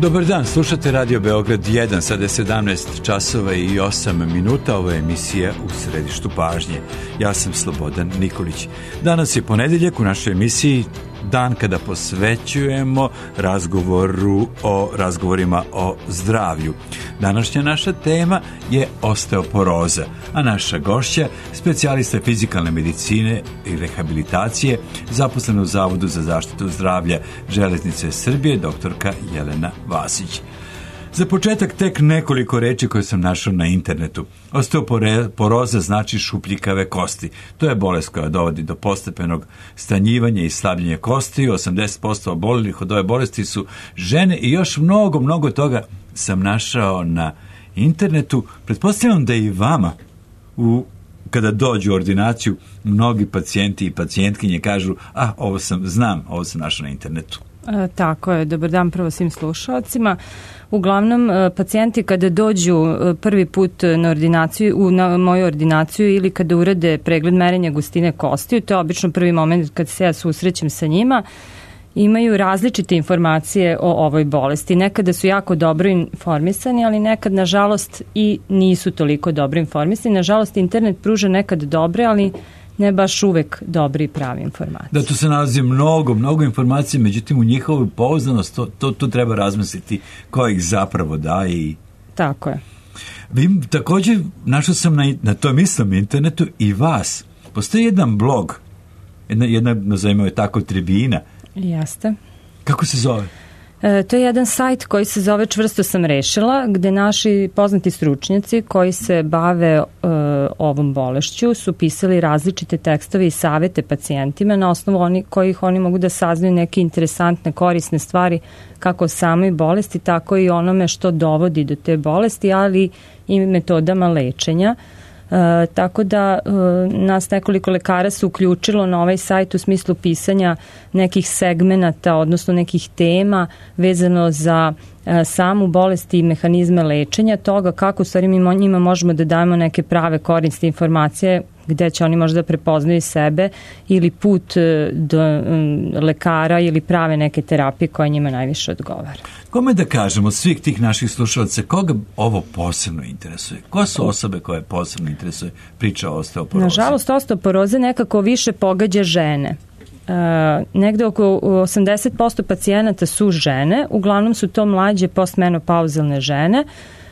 Dobar dan, slušate Radio Beograd 1, sada je 17 časova i 8 minuta, ovo je emisija U središtu pažnje. Ja sam Slobodan Nikolić. Danas je ponedeljak, u našoj emisiji dan kada posvećujemo razgovorima o zdravlju. Današnja naša tema je osteoporoza, a naša gošća, specijalista fizikalne medicine i rehabilitacije, zaposlena u Zavodu za zaštitu zdravlja Železnice Srbije, doktorka Jelena Vasić. Za početak tek nekoliko reči koje sam našao na internetu. Osteoporoza znači šupljikave kosti. To je bolest koja dovodi do postepenog stanjivanja i slabljenja kosti. 80% obolelih od ove bolesti su žene i još mnogo toga sam našao na internetu. Pretpostavljam da i vama kada dođu u ordinaciju mnogi pacijenti i pacijentkinje kažu ovo sam našao na internetu. Tako je, dobar dan prvo svim slušalcima. Uglavnom, pacijenti kada dođu prvi put na moju ordinaciju ili kada urade pregled merenja gustine kostiju, to je obično prvi moment kad se ja susrećem sa njima, imaju različite informacije o ovoj bolesti. Nekada su jako dobro informisani, ali nekad, nažalost, i nisu toliko dobro informisani. Nažalost, internet pruža nekad dobre, ali ne baš uvek dobri i pravi informacije. Da, tu se nalazi mnogo informacije, međutim u njihovu pouzdanost to treba razmisliti ko ih zapravo daje. Tako je. Vi također, našao sam na tom istom internetu i vas. Postoji jedan blog, jedna nazovimo je tako, tribina. Jeste. Kako se zove? To je jedan sajt koji se zove Čvrsto sam rešila, gde naši poznati stručnjaci koji se bave ovom bolešću su pisali različite tekstove i savete pacijentima na osnovu kojih oni mogu da saznaju neke interesantne, korisne stvari kako o samoj bolesti, tako i onome što dovodi do te bolesti, ali i metodama lečenja. Tako da nas nekoliko lekara se uključilo na ovaj sajt u smislu pisanja nekih segmenata, odnosno nekih tema vezano za samu bolest i mehanizme lečenja, toga kako u stvari mi njima možemo da dajemo neke prave korisne informacije gde će oni možda prepoznaju sebe ili put do lekara ili prave neke terapije koje njima najviše odgovara. Kome da kažemo, svih tih naših slušalaca, koga ovo posebno interesuje? Ko su osobe koje posebno interesuje priča o osteoporozi? Nažalost, osteoporoze nekako više pogađa žene. Negde oko 80% pacijenata su žene, uglavnom su to mlađe postmenopauzalne žene.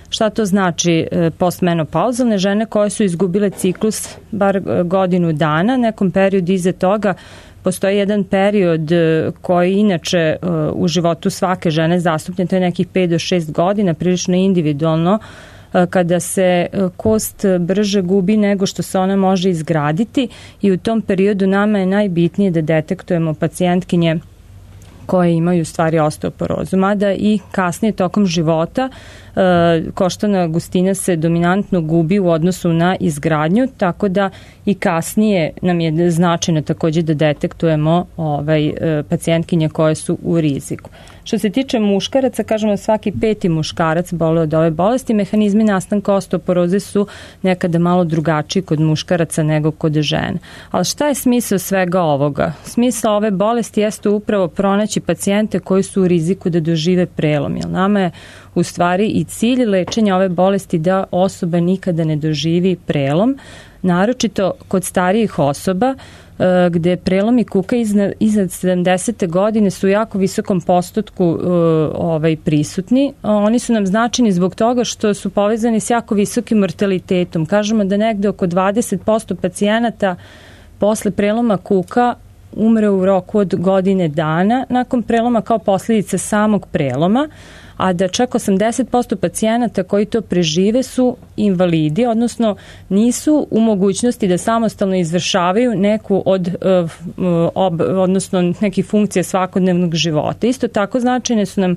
Šta to znači postmenopauzalne žene koje su izgubile ciklus bar godinu dana, nekom periodu iza toga postoji jedan period koji inače u životu svake žene zastupljen, to je nekih 5 do 6 godina, prilično individualno, kada se kost brže gubi nego što se ona može izgraditi i u tom periodu nama je najbitnije da detektujemo pacijentkinje koje imaju u stvari osteoporozu, mada i kasnije tokom života koštana gustina se dominantno gubi u odnosu na izgradnju, tako da i kasnije nam je značajno također da detektujemo pacijentkinje koje su u riziku. Što se tiče muškaraca, kažemo svaki 5. muškarac boluje od ove bolesti, mehanizmi nastanka osteoporoze su nekada malo drugačiji kod muškaraca nego kod žena. Ali šta je smisao svega ovoga? Smisao ove bolesti jeste upravo pronaći pacijente koji su u riziku da dožive prelom, jer nama je u stvari i cilj lečenja ove bolesti da osoba nikada ne doživi prelom, naročito kod starijih osoba gde prelomi kuka iznad 70. godine su u jako visokom postotku prisutni. Oni su nam značajni zbog toga što su povezani s jako visokim mortalitetom. Kažemo da negde oko 20% pacijenata posle preloma kuka umre u roku od godine dana nakon preloma kao posljedica samog preloma, a da čak 80% pacijenata koji to prežive su invalidi, odnosno nisu u mogućnosti da samostalno izvršavaju neku odnosno neke funkcije svakodnevnog života. Isto tako značajne su nam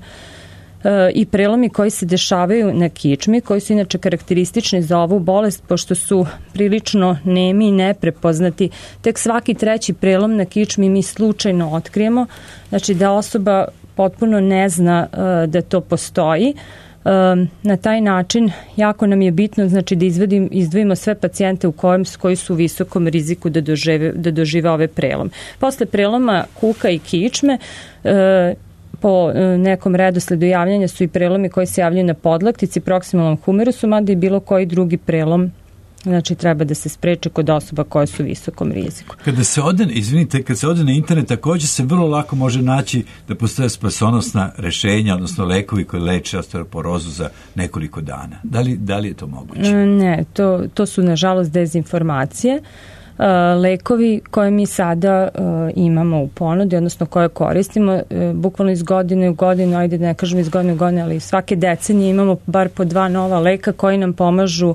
i prelomi koji se dešavaju na kičmi, koji su inače karakteristični za ovu bolest, pošto su prilično nemi i neprepoznati. Tek svaki 3. prelom na kičmi mi slučajno otkrijemo, znači da osoba potpuno ne zna da to postoji. Na taj način jako nam je bitno znači da izdvojimo sve pacijente koji su u visokom riziku da dožive ove prelom. Posle preloma kuka i kičme po nekom redosledu javljanja su i prelomi koji se javljaju na podlaktici, proksimalnom humerusu, mada i bilo koji drugi prelom, znači treba da se spreče kod osoba koje su u visokom riziku. Kada se ode na internet, također se vrlo lako može naći da postoje spasonosna rešenja, odnosno lekovi koji leče osteoporozu za nekoliko dana. Da li je to moguće? Ne, to su nažalost dezinformacije. Lekovi koje mi sada imamo u ponudi, odnosno koje koristimo, bukvalno iz godine u godinu, ajde ne kažem iz godine u godinu, ali svake decenije imamo bar po 2 nova leka koji nam pomažu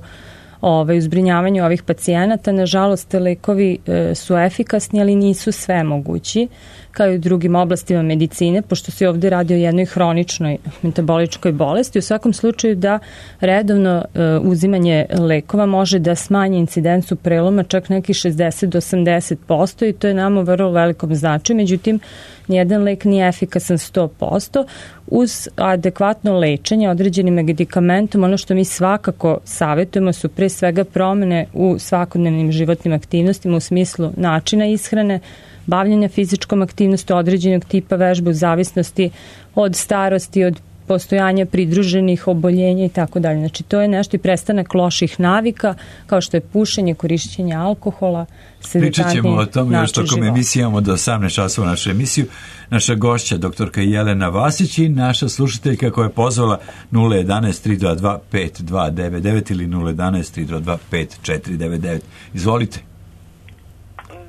u zbrinjavanju ovih pacijenata. Nažalost, lekovi su efikasni, ali nisu sve mogući, kao i u drugim oblastima medicine, pošto se ovde radi o jednoj hroničnoj metaboličkoj bolesti. U svakom slučaju da redovno uzimanje lekova može da smanji incidencu preloma čak nekih 60 do 80% i to je nama u vrlo velikom značaju. Međutim, nijedan lek nije efikasan 100%. Uz adekvatno lečenje određenim medikamentom, ono što mi svakako savjetujemo su pre svega promene u svakodnevnim životnim aktivnostima u smislu načina ishrane, bavljenja fizičkom aktivnosti, određenog tipa vežbe u zavisnosti od starosti, od postojanja pridruženih oboljenja i tako dalje. Znači to je nešto i prestanak loših navika kao što je pušenje, korišćenje alkohola. Pričat ćemo o tome još tokom emisije, imamo do 18 časova našu emisiju. Naša gošća, doktorka Jelena Vasić i naša slušateljka koja je pozvala 011-322-5299 ili 011-322-5499. Izvolite.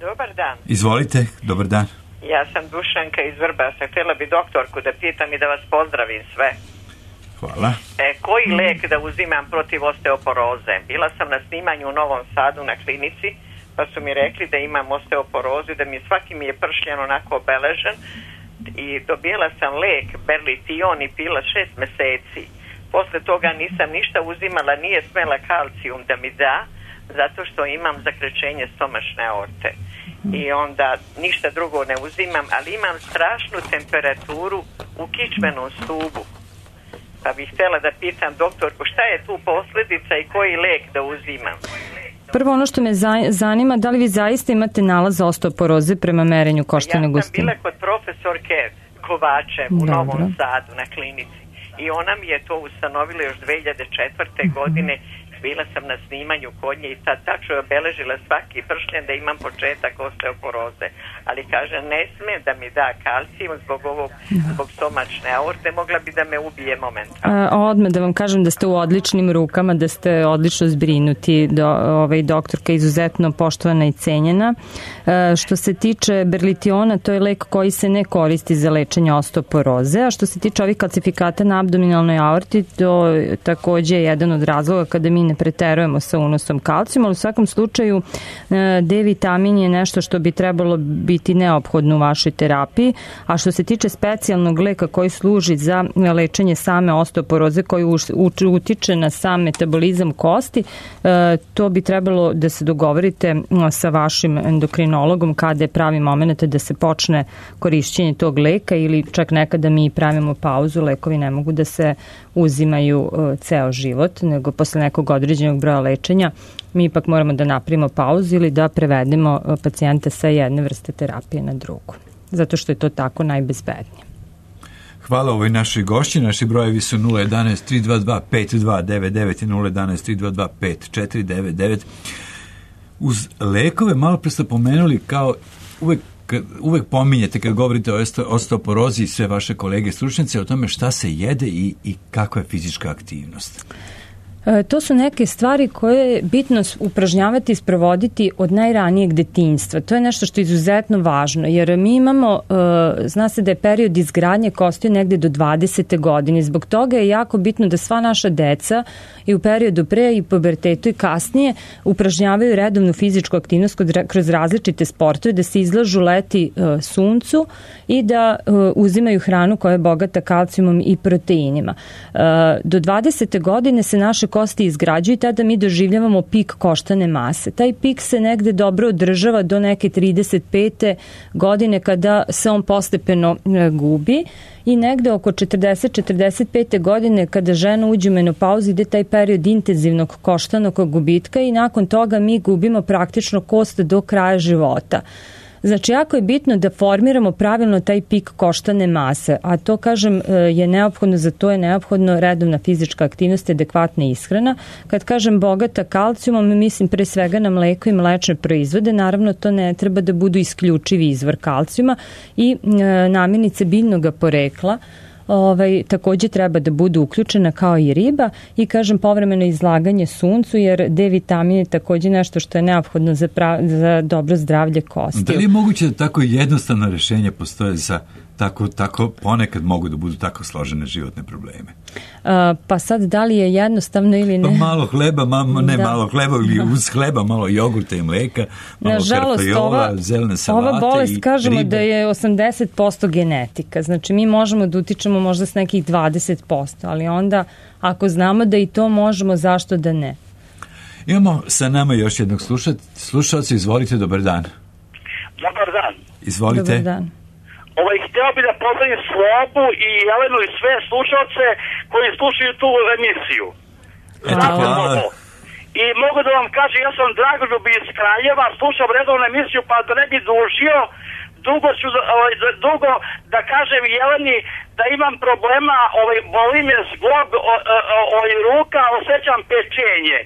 Dobar dan. Izvolite, dobar dan. Ja sam Dušanka iz Vrbasa. Htjela bi doktorku da pitam i da vas pozdravim sve. Hvala. Koji lek da uzimam protiv osteoporoze? Bila sam na snimanju u Novom Sadu na klinici, pa su mi rekli da imam osteoporozu, da mi svaki mi je pršljen onako obeležen i dobila sam lek Berlition i pila 6 meseci. Posle toga nisam ništa uzimala, nije smela kalcijum da mi da, zato što imam zakrećenje stomačne aorte. I onda ništa drugo ne uzimam, ali imam strašnu temperaturu u kičmenom stubu. Pa bih htjela da pitam doktorku šta je tu posljedica i koji lek da uzimam. Prvo ono što me zanima, da li vi zaista imate nalaz osteoporoze prema merenju koštane gustine? Ja sam bila kod profesorke Kovačev u Novom Sadu na klinici i ona mi je to ustanovila još 2004. godine. Bila sam na snimanju kod nje i sad tačno je obeležila svaki pršljen da imam početak osteoporoze. Ali kaže, ne sme da mi da kalcijum zbog stomačne aorte, mogla bi da me ubije momentalno. Odmah da vam kažem da ste u odličnim rukama, da ste odlično zbrinuti, doktorka je izuzetno poštovana i cenjena. Što se tiče Berlitiona, to je lek koji se ne koristi za lečenje osteoporoze, a što se tiče ovih kalcifikata na abdominalnoj aorti, to je takođe jedan od razloga kada mi ne preterujemo sa unosom kalcijuma, ali u svakom slučaju D-vitamin je nešto što bi trebalo biti neophodno u vašoj terapiji, a što se tiče specijalnog leka koji služi za lečenje same osteoporoze koji utiče na sam metabolizam kosti, to bi trebalo da se dogovorite sa vašim endokrinologom kada je pravi moment da se počne korišćenje tog leka ili čak nekada mi pravimo pauzu, lekovi ne mogu da se uzimaju ceo život, nego posle nekog određenog broja lečenja mi ipak moramo da napravimo pauzu ili da prevedemo pacijenta sa jedne vrste terapije na drugu, zato što je to tako najbezbednije. Hvala ovoj našoj gošći. Naši brojevi su 011-322-5299 i 011-322-5499. Uz lekove malo pre ste pomenuli kao uvek pominjete kad govorite o osteoporozi i sve vaše kolege stručnjaci o tome šta se jede i kakva je fizička aktivnost. To su neke stvari koje je bitno upražnjavati i sprovoditi od najranijeg detinjstva. To je nešto što je izuzetno važno, jer mi imamo, zna se da je period izgradnje kosti negde do 20. godine. Zbog toga je jako bitno da sva naša deca i u periodu pre i pubertetu i kasnije upražnjavaju redovnu fizičku aktivnost kroz različite sportove, da se izlažu leti suncu i da uzimaju hranu koja je bogata kalcijumom i proteinima. Do 20. godine se naše kosti izgrađuju i tada mi doživljavamo pik koštane mase. Taj pik se negde dobro održava do neke 35. godine kada se on postepeno gubi i negde oko 40-45. godine kada žena uđe u menopauzu ide taj period intenzivnog koštanog gubitka i nakon toga mi gubimo praktično kost do kraja života. Znači, jako je bitno da formiramo pravilno taj pik koštane mase, a to, kažem, je neophodno, za to je neophodno redovna fizička aktivnost i adekvatna ishrana. Kad kažem bogata kalcijumom, mislim pre svega na mleko i mlečne proizvode, naravno to ne treba da budu isključivi izvor kalcijuma i namirnice biljnog porekla, takođe treba da budu uključena kao i riba i, kažem, povremeno izlaganje suncu, jer D vitamin je takođe nešto što je neophodno za dobro zdravlje kosti. Da li je moguće da tako jednostavno rešenje postoje za tako ponekad mogu da budu tako složene životne probleme? Pa sad, da li je jednostavno ili ne? Pa malo hleba, malo hleba ili uz hleba, malo jogurta i mleka, malo kartojola, zelene salate. Ova bolest, kažemo ribe. Da je 80% genetika. Znači, mi možemo da utičemo možda s nekih 20%, ali onda, ako znamo da i to možemo, zašto da ne? Imamo sa nama još jednog slušalca. Izvolite, dobar dan. Dobar dan. Izvolite. Dobar dan. Htio bi da pozdravim Slobu i Jelenu i sve slušalce koji slušaju tu emisiju. Hvala. I mogu da vam kažem, ja sam Dragoljub iz Kraljeva, slušam redovnu emisiju, pa da ne bi dužio, dugo da kažem Jeleni da imam problema, boli me zglob ruka, osjećam pečenje.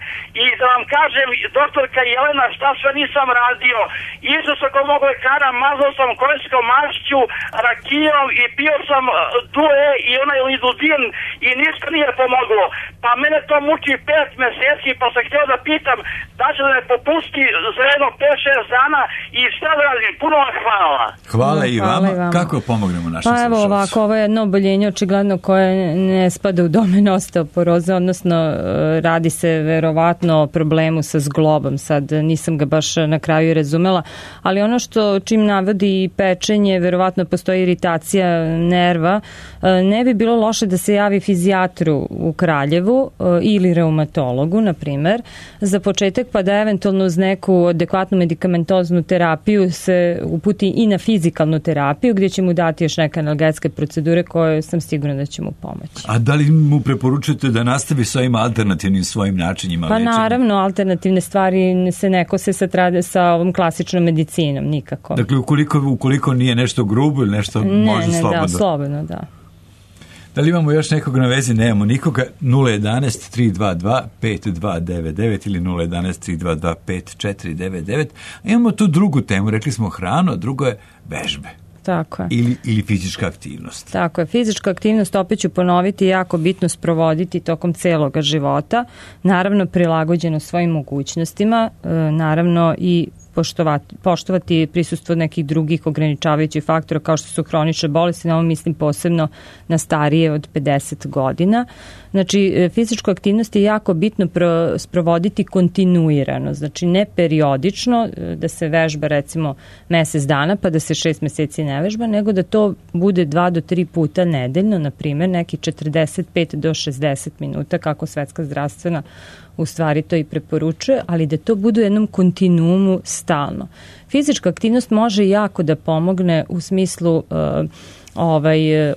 I da vam kažem, doktorka Jelena, šta sve nisam radio. Išao sam kod mog lekara, mazao sam konjskom mašću, rakijom i pio sam due i onaj lidudin i ništa nije pomoglo. Pa mene to muči 5 meseci, pa sam htio da pitam da će da me popusti za jedno 5-6 dana i šta da radim. Puno vam hvala. Hvala i vama. Kako pomognemo našim slušalcima? Pa evo ovako, ovo je jedno oboljenje očigledno koje ne spada u domen osteoporoze, odnosno radi se verovatno o problemu sa zglobom. Sad nisam ga baš na kraju razumela, ali ono što čim navodi pečenje, verovatno postoji iritacija nerva, ne bi bilo loše da se javi fizijatru u Kraljevu ili reumatologu, na primer, za početak, pa da eventualno uz neku adekvatnu medikamentoznu terapiju se uputi i na fizikalnu terapiju, gdje će mu dati još neke analgetske procedure koje sam sigurna da će mu pomoći. A da li mu preporučujete da nastavi s ovim alternativnim svojim načinima liječenja? Pa naravno, alternativne stvari se ne kose sa ovom klasičnom medicinom, nikako. Dakle, ukoliko nije nešto grubo ili nešto može slobodno? Da, slobodno, da. Da li imamo još nekog na vezi? Nemamo nikoga. 011-322-5299 ili 011-322-5499. Imamo tu drugu temu, rekli smo hranu, a drugo je vežbe. Tako je. Ili fizička aktivnost. Tako je. Fizička aktivnost, opet ću ponoviti, je jako bitno sprovoditi tokom celoga života. Naravno, prilagođeno svojim mogućnostima. Naravno i poštovati prisustvo nekih drugih ograničavajućih faktora kao što su hronične bolesti, na ovo mislim posebno na starije od 50 godina. Znači, fizičku aktivnost je jako bitno sprovoditi kontinuirano, znači ne periodično, da se vežba recimo mesec dana pa da se 6 meseci ne vežba, nego da to bude 2 do 3 puta nedeljno, na primjer neki 45 do 60 minuta, kako Svetska zdravstvena u stvari to i preporučuje, ali da to bude u jednom kontinuumu stalno. Fizička aktivnost može jako da pomogne u smislu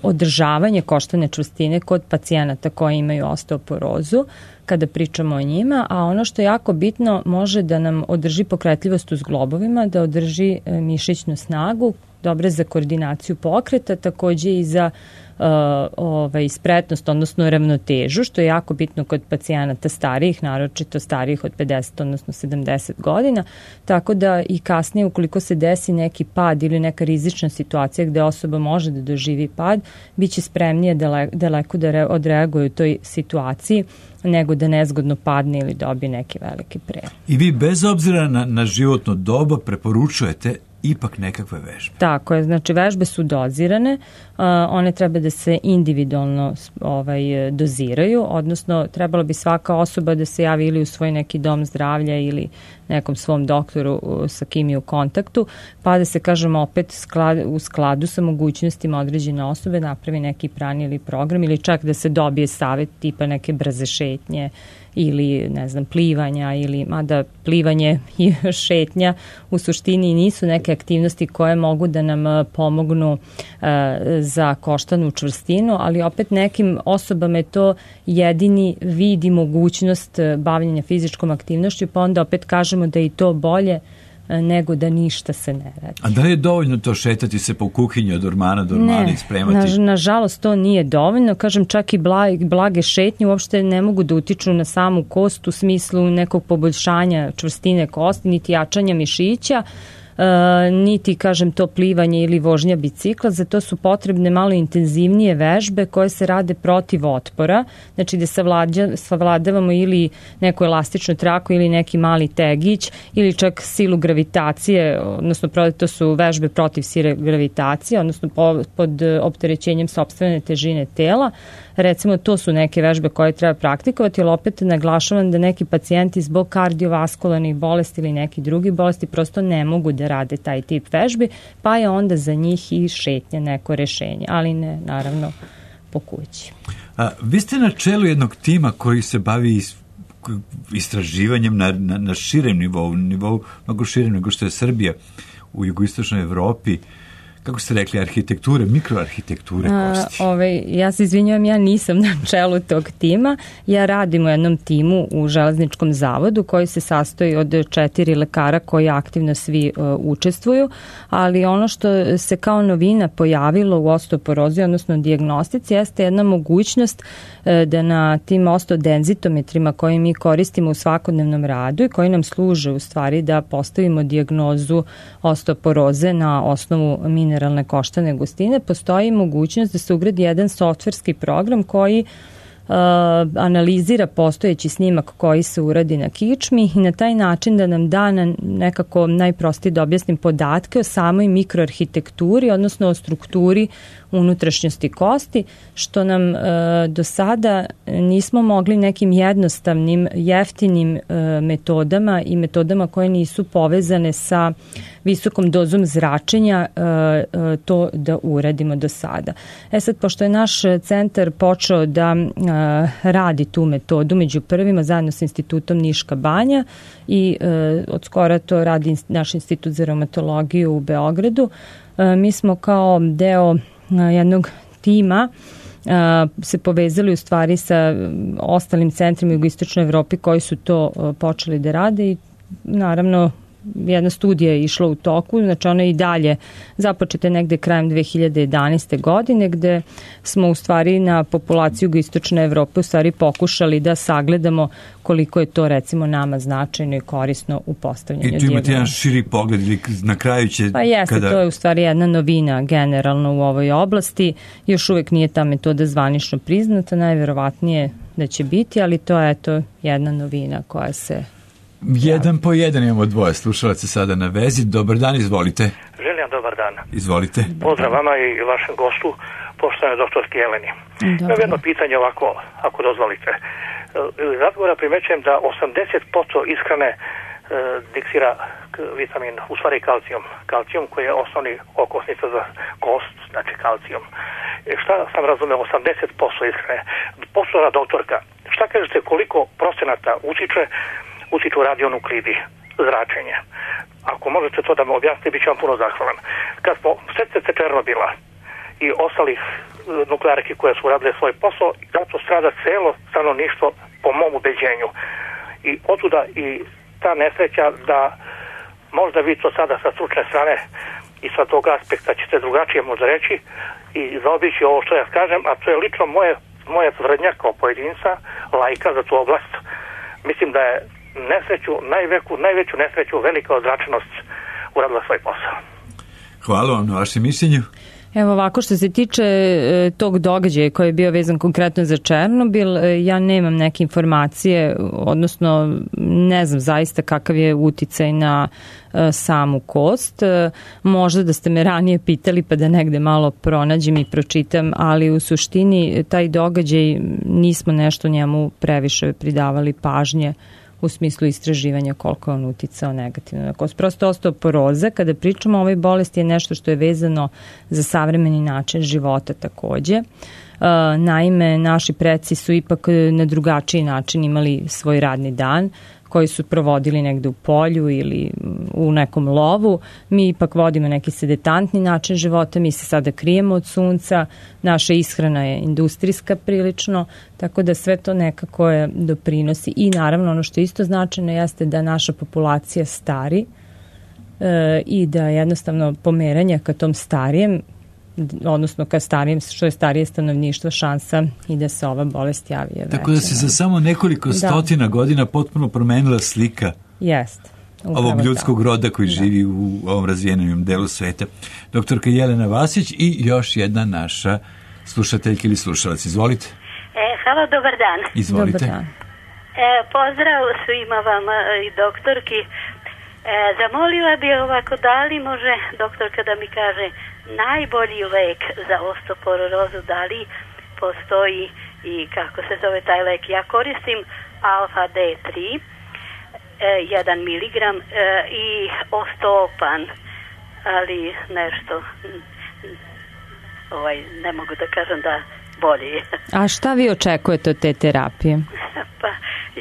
održavanje koštane čvrstine kod pacijenata koji imaju osteoporozu, kada pričamo o njima, a ono što je jako bitno, može da nam održi pokretljivost u zglobovima, da održi mišićnu snagu, dobre za koordinaciju pokreta, takođe i za spretnost, odnosno ravnotežu, što je jako bitno kod pacijenata starijih, naročito starijih od 50, odnosno 70 godina, tako da i kasnije, ukoliko se desi neki pad ili neka rizična situacija gde osoba može da doživi pad, bit će spremnije daleko da odreaguje u toj situaciji, nego da nezgodno padne ili dobije neki veliki prejem. I vi bez obzira na životno doba preporučujete ipak nekakve vežbe. Tako je, znači vežbe su dozirane, one treba da se individualno doziraju, odnosno trebalo bi svaka osoba da se javi ili u svoj neki dom zdravlja ili nekom svom doktoru sa kim je u kontaktu, pa da se, kažemo, opet u skladu sa mogućnostima određene osobe napravi neki plan ili program, ili čak da se dobije savjet tipa neke brze šetnje ili, ne znam, plivanja, ili, mada plivanje i šetnja u suštini nisu neke aktivnosti koje mogu da nam pomognu za koštanu čvrstinu, ali opet nekim osobama je to jedini vid i mogućnost bavljenja fizičkom aktivnošću, pa onda opet kažemo da je i to bolje nego da ništa se ne radi. A da li je dovoljno to šetati se po kuhinji od ormana do ormana i spremati? Ne, nažalost to nije dovoljno. Kažem, čak i blage šetnje uopšte ne mogu da utiču na samu kost u smislu nekog poboljšanja čvrstine kosti, niti jačanja mišića, niti, kažem, to plivanje ili vožnja bicikla. Za to su potrebne malo intenzivnije vežbe koje se rade protiv otpora, znači da savladavamo ili neku elastičnu traku ili neki mali tegić ili čak silu gravitacije, odnosno to su vežbe protiv sile gravitacije, odnosno pod opterećenjem sopstvene težine tela. Recimo, to su neke vežbe koje treba praktikovati, ali opet naglašavam da neki pacijenti zbog kardiovaskularnih bolesti ili neki drugi bolesti prosto ne mogu da rade taj tip vežbi, pa je onda za njih i šetnja neko rešenje, ali ne, naravno, po kući. Vi ste na čelu jednog tima koji se bavi istraživanjem na širem nivou mnogo širem nego što je Srbija u jugoistočnoj Evropi. Kako ste rekli, arhitekture, mikroarhitekture kosti? Ja se izvinjavam, ja nisam na čelu tog tima. Ja radim u jednom timu u Železničkom zavodu koji se sastoji od 4 lekara koji aktivno svi učestvuju, ali ono što se kao novina pojavilo u osteoporozi, odnosno dijagnostici, jeste jedna mogućnost da na tim osteodenzitometrima koje mi koristimo u svakodnevnom radu i koji nam služe u stvari da postavimo dijagnozu osteoporoze na osnovu mineralne koštane gustine, postoji mogućnost da se ugradi jedan softverski program koji analizira postojeći snimak koji se uradi na kičmi i na taj način da nam da nekako najprostije da objasnim podatke o samoj mikroarhitekturi, odnosno o strukturi unutrašnjosti kosti, što nam do sada nismo mogli nekim jednostavnim, jeftinim metodama i metodama koje nisu povezane sa visokom dozom zračenja to da uradimo do sada. Sad, pošto je naš centar počeo da radi tu metodu među prvima zajedno sa Institutom Niška banja i od skora to radi naš Institut za reumatologiju u Beogradu, mi smo kao deo jednog tima se povezali u stvari sa ostalim centrima u jugoistočnoj Evropi koji su to počeli da rade i naravno jedna studija je išla u toku, znači ona je i dalje započeta negde krajem 2011. godine gde smo u stvari na populaciju jugoistočne Evrope u stvari pokušali da sagledamo koliko je to recimo nama značajno i korisno u postavljanju dijagnoze. I tu imate jedan širi pogled ili na kraju će... Pa jeste, to je u stvari jedna novina generalno u ovoj oblasti. Još uvek nije ta metoda zvanično priznata, najverovatnije da će biti, ali to je eto jedna novina koja se... Jedan po jedan imamo dvoje slušalaca sada na vezi. Dobar dan, izvolite. Želim dobar dan. Izvolite. Pozdrav vama i vašem gostu, poštovane doktorski Jeleni. Imam jedno pitanje ovako, ako dozvolite. Iz razgovora primećujem da 80% ishrane diksira vitamin, u stvari kalcijum. Kalcijum koji je osnovni okosnica za kost, znači kalcijum. Šta sam razumeo, 80% ishrane. Poštovana doktorka, šta kažete koliko procenata utiču radionuklidi, zračenje? Ako možete to da me objasnite, bit ću vam puno zahvalan. Kad smo setite Černobila i ostalih nuklearki koje su radile svoj posao, zato strada celo stanovništvo po mom ubeđenju. I otuda i ta nesreća da možda vi to sada sa stručne strane i sa tog aspekta ćete drugačije možda reći i zaobići ovo što ja kažem, a to je lično moja tvrdnja kao pojedinca, lajka za tu oblast. Mislim da je najveću nesreću velika ozračenost uradila svoj posao. Hvala vam na vašem mišljenju. Evo ovako, što se tiče tog događaja koji je bio vezan konkretno za Černobil, ja nemam neke informacije, odnosno ne znam zaista kakav je uticaj na samu kost. Možda da ste me ranije pitali pa da negde malo pronađem i pročitam, ali u suštini taj događaj nismo nešto njemu previše pridavali pažnje u smislu istraživanja koliko je on uticao negativno na kost. Prosto osteoporoza, kada pričamo o ovoj bolesti, je nešto što je vezano za savremeni način života takođe. Naime, naši preci su ipak na drugačiji način imali svoj radni dan, koji su provodili negde u polju ili u nekom lovu. Mi ipak vodimo neki sedetantni način života, mi se sada krijemo od sunca, naša ishrana je industrijska prilično, tako da sve to nekako je doprinosi. I naravno ono što je isto značajno jeste da naša populacija stari, i da jednostavno pomeranje ka tom starijem, odnosno ka starijem, što je starije stanovništvo, šansa i da se ova bolest javi je veća. Tako da se za samo nekoliko stotina godina potpuno promenila slika ovog ljudskog roda koji živi u ovom razvijenom delu sveta. Doktorka Jelena Vasić i još jedna naša slušateljka ili slušalac. Izvolite. Halo, dobar dan. Izvolite. Dobar dan. Pozdrav svima vama i doktorki. Zamolila bi ovako, da li može doktorka da mi kaže najbolji lek za osteoporozu, da li postoji i kako se zove taj lek? Ja koristim Alfa D3, 1 miligram i Osteopan, ali nešto ne mogu da kažem da bolje je. A šta vi očekujete od te terapije? Pa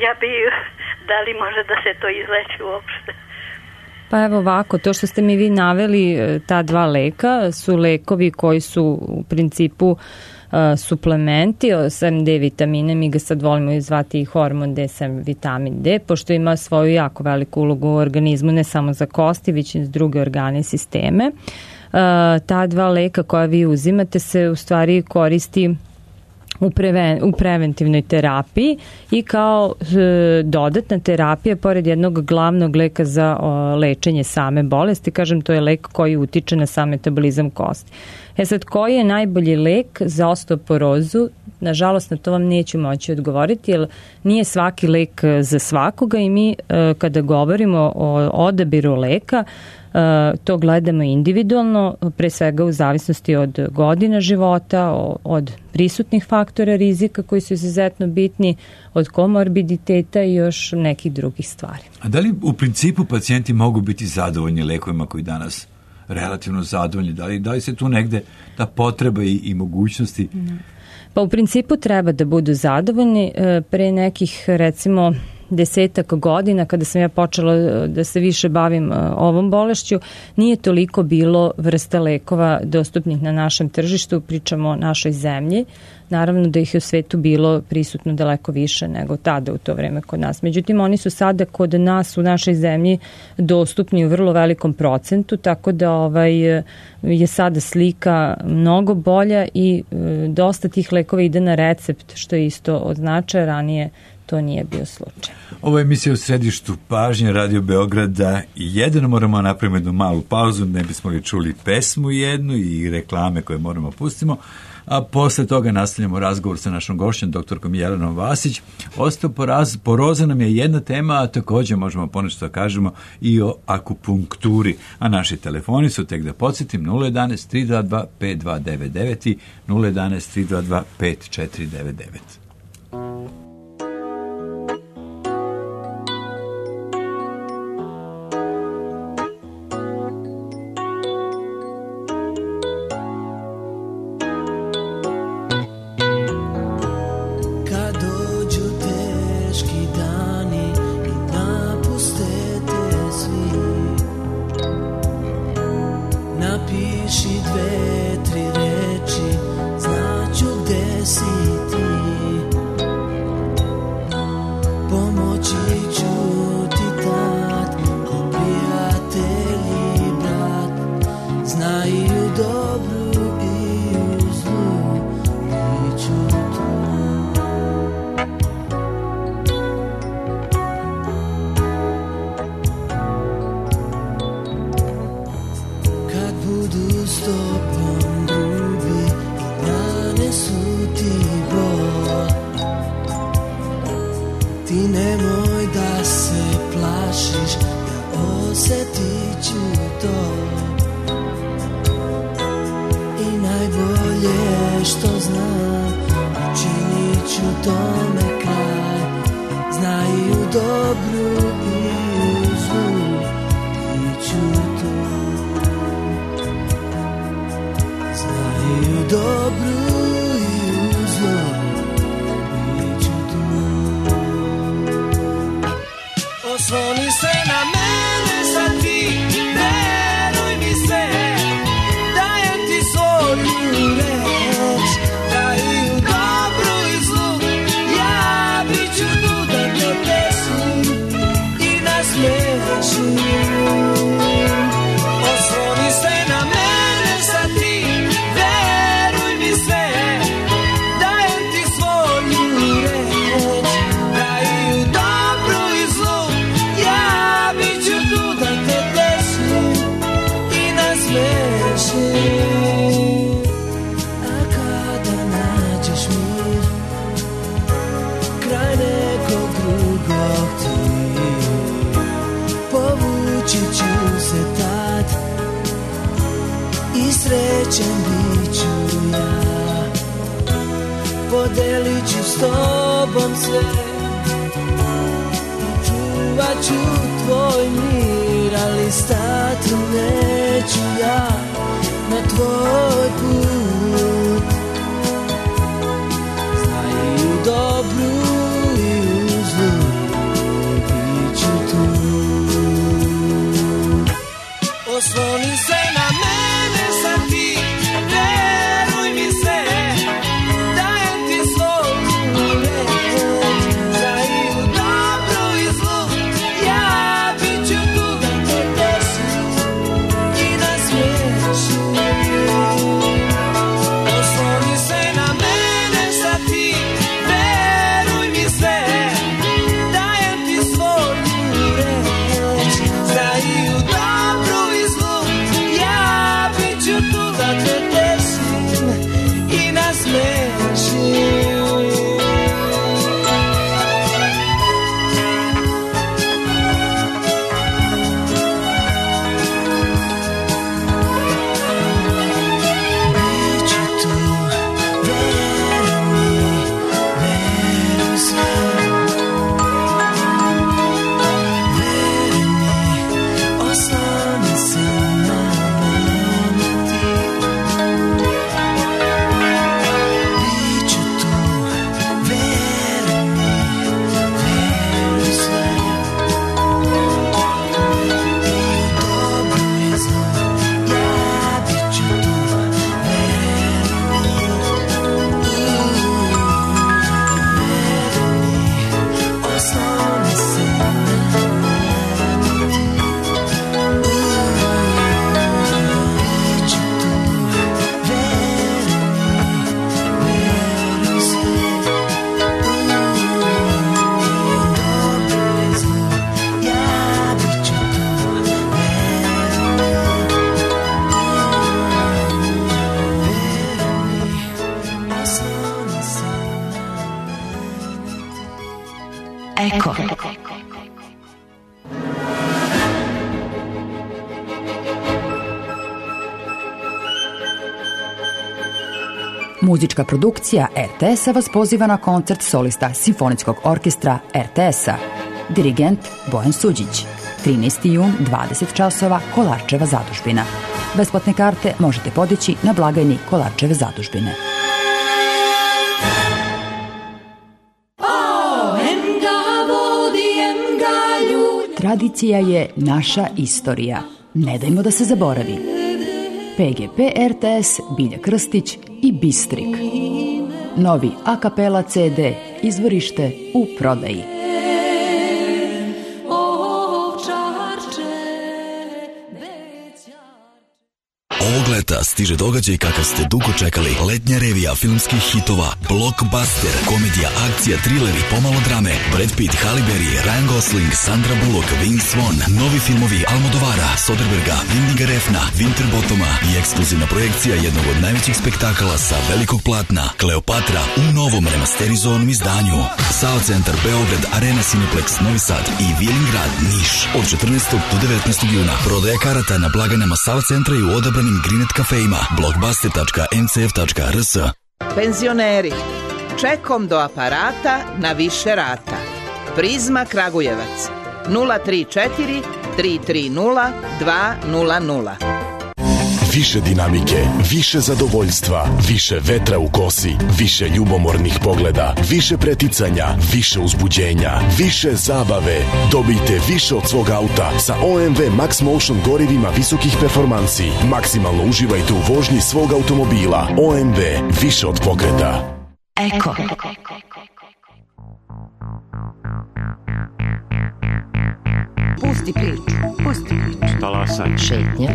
ja bi, da li može da se to izleči uopšte? Pa evo ovako, to što ste mi vi naveli, ta dva leka su lekovi koji su u principu suplementi, sem D vitamine, mi ga sad volimo zvati i hormon D, sem vitamin D, pošto ima svoju jako veliku ulogu u organizmu, ne samo za kosti, već i za druge organe i sisteme. Ta dva leka koja vi uzimate se u stvari koristi u preventivnoj terapiji i kao dodatna terapija pored jednog glavnog leka za lečenje same bolesti, kažem, to je lek koji utiče na sam metabolizam kosti. Sad, koji je najbolji lek za osteoporozu? Nažalost, na to vam neću moći odgovoriti, jer nije svaki lek za svakoga i mi kada govorimo o odabiru leka, to gledamo individualno, pre svega u zavisnosti od godina života, od prisutnih faktora rizika koji su izuzetno bitni, od komorbiditeta i još nekih drugih stvari. A da li u principu pacijenti mogu biti zadovoljni lekovima koji danas relativno zadovoljni? Da li se tu negde ta potreba i mogućnosti? Pa u principu treba da budu zadovoljni. Pre nekih, recimo, 10 godina kada sam ja počela da se više bavim ovom bolešću, nije toliko bilo vrsta lekova dostupnih na našem tržištu, pričamo o našoj zemlji. Naravno da ih je u svetu bilo prisutno daleko više nego tada u to vreme kod nas. Međutim, oni su sada kod nas u našoj zemlji dostupni u vrlo velikom procentu, tako da je sada slika mnogo bolja i dosta tih lekova ide na recept, što je isto od značaja, ranije to nije bio slučaj. Ovo je emisija u središtu pažnje Radio Beograda i jedino moramo napraviti jednu malu pauzu, ne bismo li čuli pesmu jednu i reklame koje moramo pustimo, a posle toga nastavljamo razgovor sa našom gošćom, doktorkom Jelenom Vasić. Osteoporoza nam je jedna tema, a također možemo ponešto da kažemo i o akupunkturi. A naši telefoni su, tek da podsjetim, 011 322 5299 i 011 322 5499. Nasmeši smiješim. A kada nađeš mir kraj nekog drugog ti, povući ću se tad i srećen bit ću ja. Podelit ću s tobom sve, čuvat ću tvoj mir, ali stati neću ja na tvoj put. Znaj i u dobru i u zlu bit ću tu. Osloni se na mene sad ti, veruj mi se, dajem ti svoju reč. Znaj i u dobru i zlu, ja bit ću tu da te tešim i da smiješim. Osloni se na mene sad ti, veruj mi se, dajem ti svoju reč. Znaj i u dobru i zlu, ja bit ću tu da te tešim i nasmešim. Biću tu, veruj mi, veruj sve. Veruj mi, osloni se na mene ti. Biću tu, veruj mi, veruj sve. I u dobru i zlu, ja bit ću tu, veruj mi. Veruj mi, osloni se na mene ti. Biću tu, veruj mi, veruj sve. I u dobru i zlu, ja bit ću tu, veruj mi. Osloni se na mene. Eko. Muzička produkcija RTS-a vas poziva na koncert solista Simfonijskog orkestra RTS-a. Dirigent Bojan Suđić. 13. jun, 20 časova, Kolarčeva zadužbina. Besplatne karte možete podići na blagajni Kolarčeve zadužbine. Tradicija je naša istorija. Ne dajmo da se zaboravi. PGP RTS, Bilja Krstić i Bistrik. Novi a kapela CD, izvorište u prodaji. Ovog leta stiže događaj kakav ste dugo čekali. Letnja revija filmskih hitova, blockbuster, komedija, akcija, trileri, pomalo drame, Brad Pitt, Halle Berry, Ryan Gosling, Sandra Bullock, Vince Vaughn, novi filmovi Almodovara, Soderberga, Windiga Refna, Winterbottoma i ekskluzivna projekcija jednog od najvećih spektakala sa velikog platna, Kleopatra u novom remasterizovanom izdanju. Sao Centar Beograd, Arena Cineplex Novi Sad i Vilingrad Niš od 14. do 19. juna. Prodaja karata na blagajnama Sao Centra i u odabranim Grinet kafejima, blockbuster.ncf.rs. Penzioneri, čekom do aparata na više rata. Prizma Kragujevac 034 330 200. Više dinamike, više zadovoljstva, više vetra u kosi, više ljubomornih pogleda, više preticanja, više uzbuđenja, više zabave. Dobijte više od svog auta sa OMV Max Motion gorivima visokih performansi. Maksimalno uživajte u vožnji svog automobila. OMV, više od pokreta. Eko. Pusti priču, pusti priču. Talasaj. Šetnja.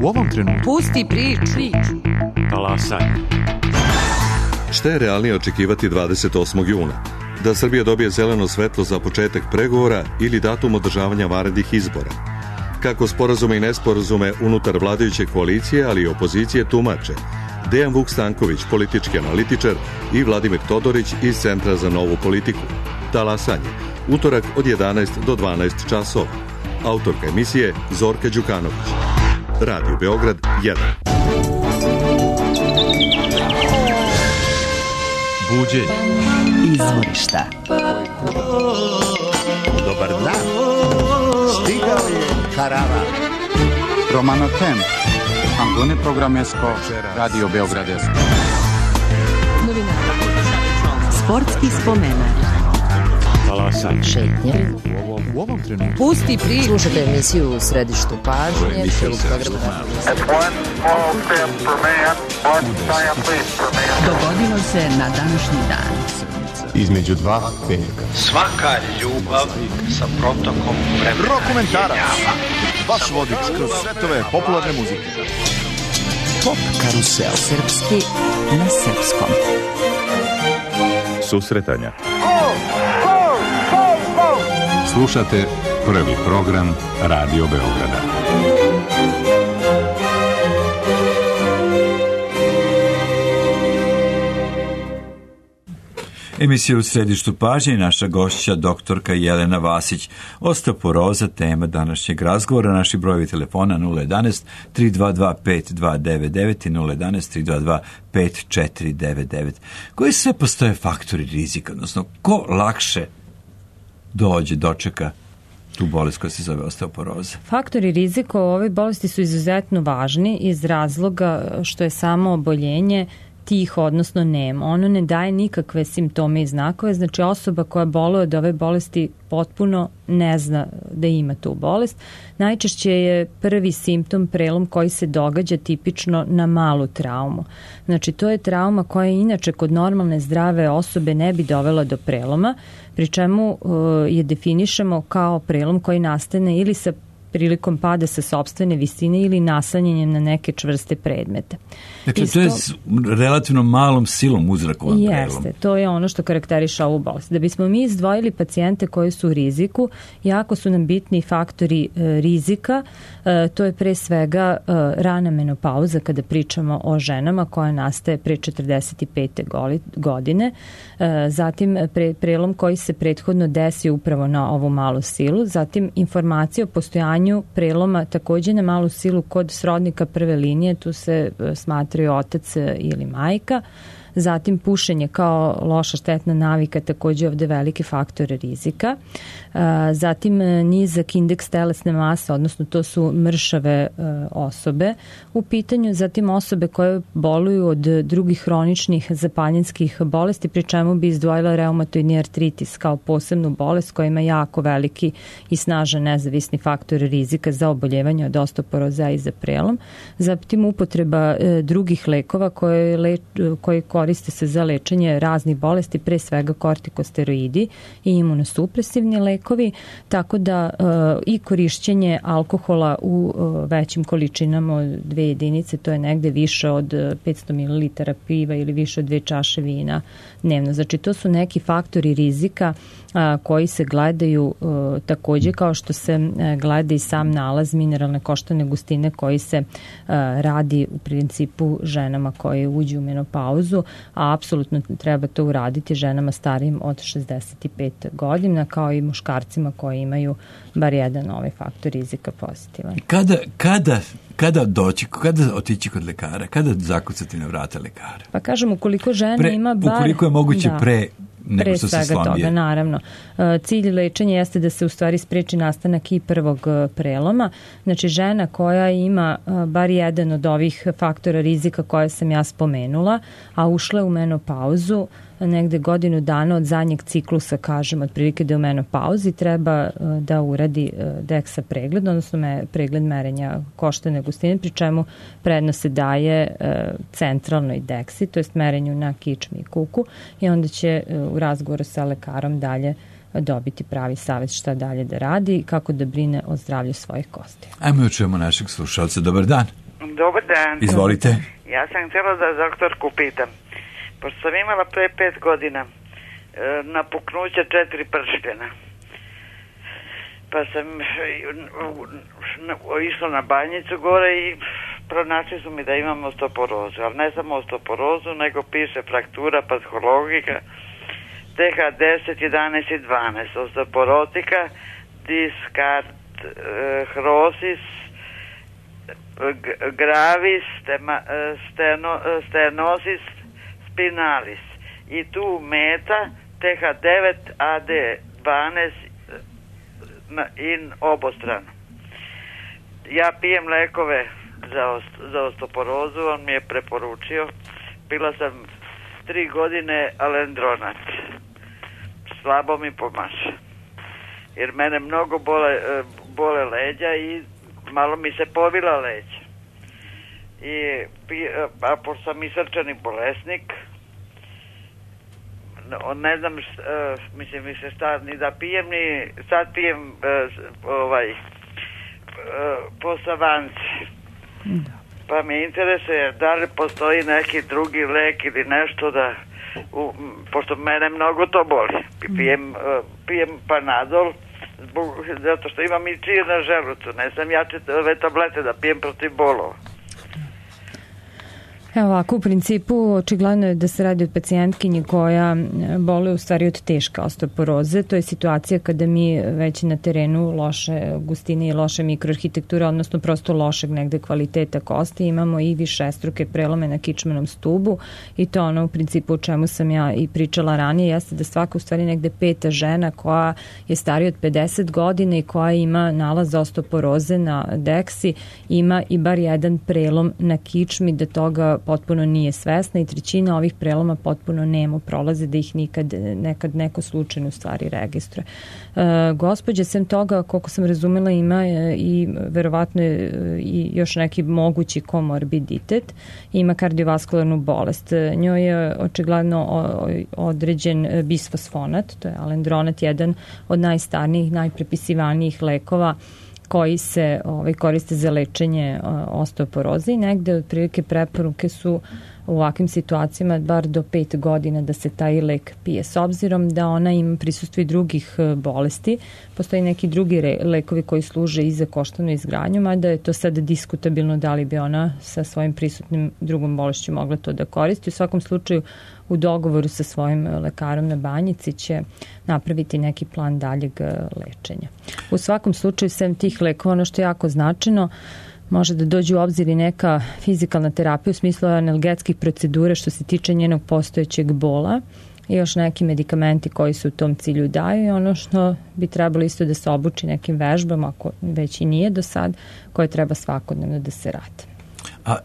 U ovom trenutku. Pusti priču. Talasaj. Šta je realnije očekivati 28. juna? Da Srbija dobije zeleno svetlo za početak pregovora ili datum održavanja vanrednih izbora? Kako sporazume i nesporazume unutar vladajuće koalicije, ali i opozicije tumače Dejan Vuk Stanković, politički analitičar, i Vladimir Todorić iz Centra za novu politiku. Talasanje, utorak od 11 do 12 časova. Autorka emisije Zorka Đukanović. Radio Beograd 1. Buđenje. Izvorišta. Dobar dan. Stigao je karavan. Romano Temp. Antone Programesko. Radio Beograd 1. Sportski spomenak. Talasanje. Šetnje. U ovom trenutku. Pusti priču. Slušajte emisiju u središtu pažnje. Dogodilo se na današnji dan. Između dva petka. Svaka ljubav sa protokom vremena. Rokomentarac. Vaš vodič kroz svetove popularne muzike. Pop karusel. Srpski na srpskom. Susretanja. Slušate prvi program Radio Beograda. Emisija u središtu pažnje i naša gošća doktorka Jelena Vasić. Osteoporoza, tema današnjeg razgovora. Naši brojevi telefona 011 322 5299 i 011 322 5499. Koji sve postoje faktori rizika, odnosno ko lakše dočeka tu bolest koja se zove osteoporoza? Faktori rizika u ovoj bolesti su izuzetno važni iz razloga što je samo oboljenje tiho, odnosno nemo. Ono ne daje nikakve simptome i znakove, znači osoba koja boluje od ove bolesti potpuno ne zna da ima tu bolest. Najčešće je prvi simptom prelom koji se događa tipično na malu traumu. Znači to je trauma koja inače kod normalne zdrave osobe ne bi dovela do preloma, pri čemu je definišemo kao prelom koji nastane ili sa prilikom pada sa sopstvene visine ili naslanjanjem na neke čvrste predmete. Dakle, to je s relativno malom silom uzrakovan prelom. Jeste, to je ono što karakteriše ovu bolest. Da bismo mi izdvojili pacijente koji su u riziku, jako su nam bitni faktori rizika, to je pre svega rana menopauza kada pričamo o ženama koja nastaje pre 45. godine, zatim prelom koji se prethodno desi upravo na ovu malu silu, zatim informacija o postojanju preloma takođe na malu silu kod srodnika prve linije, tu se smatraju otac ili majka, zatim pušenje kao loša štetna navika, takođe ovde veliki faktor rizika, zatim nizak indeks telesne mase, odnosno to su mršave osobe u pitanju, zatim osobe koje boluju od drugih hroničnih zapaljenskih bolesti, pri čemu bi izdvojila reumatoidni artritis kao posebnu bolest koja ima jako veliki i snažan nezavisni faktor rizika za oboljevanje od osteoporoza i za prelom, zatim upotreba drugih lekova koji koriste se za lečenje raznih bolesti, pre svega kortikosteroidi i imunosupresivni lekovi, tako da i korišćenje alkohola u većim količinama od 2 jedinice, to je negde više od 500 ml piva ili više od 2 čaše vina dnevno. Znači to su neki faktori rizika koji se gledaju takođe kao što se gleda i sam nalaz mineralne koštane gustine koji se radi u principu ženama koje uđu u menopauzu, a apsolutno treba to uraditi ženama starijim od 65 godina kao i muškarcima koji imaju bar jedan ovaj faktor rizika pozitivan. Kada otići kod lekara? Kada zakucati na vrata lekara? Pa kažem, ukoliko žena ima bar... Ukoliko je moguće pre nego što se slabije. Toga, naravno. Cilj lečenja jeste da se u stvari spreči nastanak i prvog preloma. Znači žena koja ima bar jedan od ovih faktora rizika koje sam ja spomenula, a ušla je u menopauzu negde godinu dana od zadnjeg ciklusa, kažem, otprilike da je u menopauzi, treba da uradi DEXA pregled, odnosno pregled merenja koštane gustine, pri čemu prednost se daje centralnoj DEXI, to jest merenju na kičmi i kuku, i onda će u razgovoru sa lekarom dalje dobiti pravi savjet šta dalje da radi i kako da brine o zdravlju svojih kosti. Ajmo čujemo našeg slušalca. Dobar dan. Dobar dan. Izvolite. Ja sam htjela da doktorku pitam. Pošto sam imala pre 5 godina napuknuće 4 prštena. Pa sam išla na Banjicu gore i pronašli su mi da imam osteoporozu, ali ne samo osteoporozu, nego piše fraktura patologika TH10, 11 i 12, osteoporotika, diskarthrosis, gravis, stenosis spinalis i tu meta TH9, AD12 in obostrano. Ja pijem lekove za osteoporozu, on mi je preporučio. Pila sam 3 godine alendronat. Slabo mi pomaže. Jer mene mnogo bole leđa i malo mi se povila leđa. A pošto sam i srčani bolesnik, ne znam, mislim više šta ni da pijem, ni sad pijem po savanci. Pa me interesuje da li postoji neki drugi lek ili nešto da, pošto mene mnogo to boli. Pijem Panadol, zato što imam i čir na želucu, ne sam jače ove tablete da pijem protiv bolova. Evo ovako, u principu očigledno je da se radi o pacijentkinji koja boluje u stvari od teške osteoporoze. To je situacija kada mi već na terenu loše gustine i loše mikroarhitekture, odnosno prosto lošeg negde kvaliteta kosti, imamo i višestruke prelome na kičmenom stubu i to ono u principu o čemu sam ja i pričala ranije, jeste da svaka u stvari negde 5. žena koja je starija od 50 godina i koja ima nalaz osteoporoze na deksi ima i bar jedan prelom na kičmi, da toga potpuno nije svesna i 1/3 ovih preloma potpuno nemo prolaze, da ih nekad neko slučajno u stvari registruje. Gospođa, sem toga, koliko sam razumela, ima i verovatno i još neki mogući komorbiditet, ima kardiovaskularnu bolest. Njoj je očigledno određen bisfosfonat, to je alendronat, jedan od najstarnijih, najprepisivanijih lekova koji se koriste za lečenje osteoporoze i negde otprilike preporuke su u ovakvim situacijama bar do 5 godina da se taj lek pije. S obzirom da ona ima prisustvo i drugih bolesti, postoji neki drugi lekovi koji služe i za koštanu izgradnju, mada je to sad diskutabilno da li bi ona sa svojim prisutnim drugom bolešću mogla to da koristi. U svakom slučaju u dogovoru sa svojim lekarom na Banjici će napraviti neki plan daljeg lečenja. U svakom slučaju, sem tih lekova, ono što je jako značajno, može da dođe u obzir i neka fizikalna terapija u smislu analgetskih procedura što se tiče njenog postojećeg bola i još neki medikamenti koji se u tom cilju daju i ono što bi trebalo isto da se obuči nekim vežbama, ako već i nije do sad, koje treba svakodnevno da se rade. A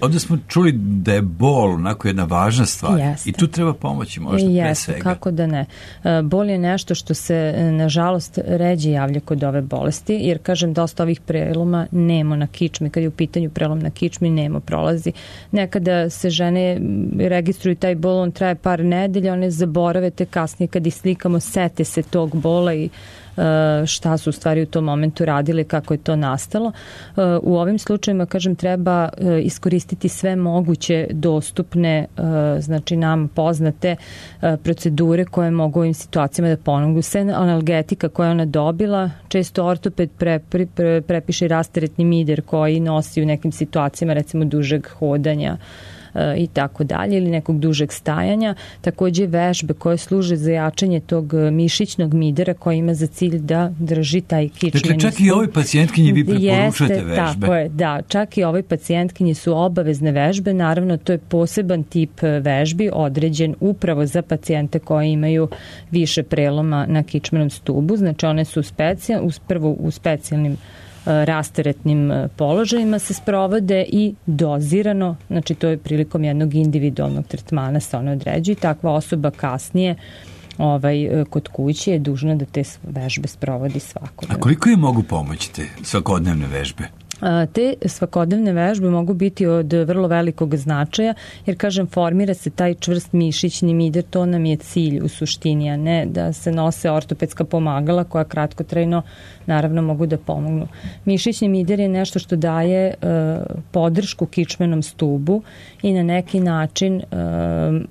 ovde smo čuli da je bol onako jedna važna stvar. Jeste. I tu treba pomoći možda pre svega. Kako da ne. Bol je nešto što se nažalost ređe javlja kod ove bolesti, jer kažem dosta ovih preloma nemo na kičmi, kad je u pitanju prelom na kičmi nemo prolazi. Nekada se žene registruju taj bol, on traje par nedelja, one zaborave te kasnije kad ih slikamo, sete se tog bola i šta su u stvari u tom momentu radili, kako je to nastalo. U ovim slučajima, kažem, treba iskoristiti sve moguće dostupne, znači nam poznate procedure koje mogu u ovim situacijama da pomognu. Sve analgetika koja je ona dobila, često ortoped prepiše rasteretni mider koji nosi u nekim situacijama, recimo dužeg hodanja i tako dalje, ili nekog dužeg stajanja. Takođe vežbe koje služe za jačanje tog mišićnog midera koji ima za cilj da drži taj kičmeni stup. Dakle, čak i ovoj pacijentkinji vi preporučujete vežbe. Tako je, da. Čak i ovoj pacijentkinji su obavezne vežbe. Naravno, to je poseban tip vežbi određen upravo za pacijente koji imaju više preloma na kičmenom stubu. Znači, one su prvo u specijalnim rasteretnim položajima se sprovode i dozirano, znači to je prilikom jednog individualnog tretmana se one određuju. Takva osoba kasnije kod kuće je dužna da te vežbe sprovodi svakodnevno. A koliko je mogu pomoći te svakodnevne vežbe? Te svakodnevne vežbe mogu biti od vrlo velikog značaja, jer kažem, formira se taj čvrst mišićni mider, to nam je cilj u suštini, a ne da se nose ortopedska pomagala koja kratkotrajno naravno mogu da pomognu. Mišićni mider je nešto što daje podršku kičmenom stubu i na neki način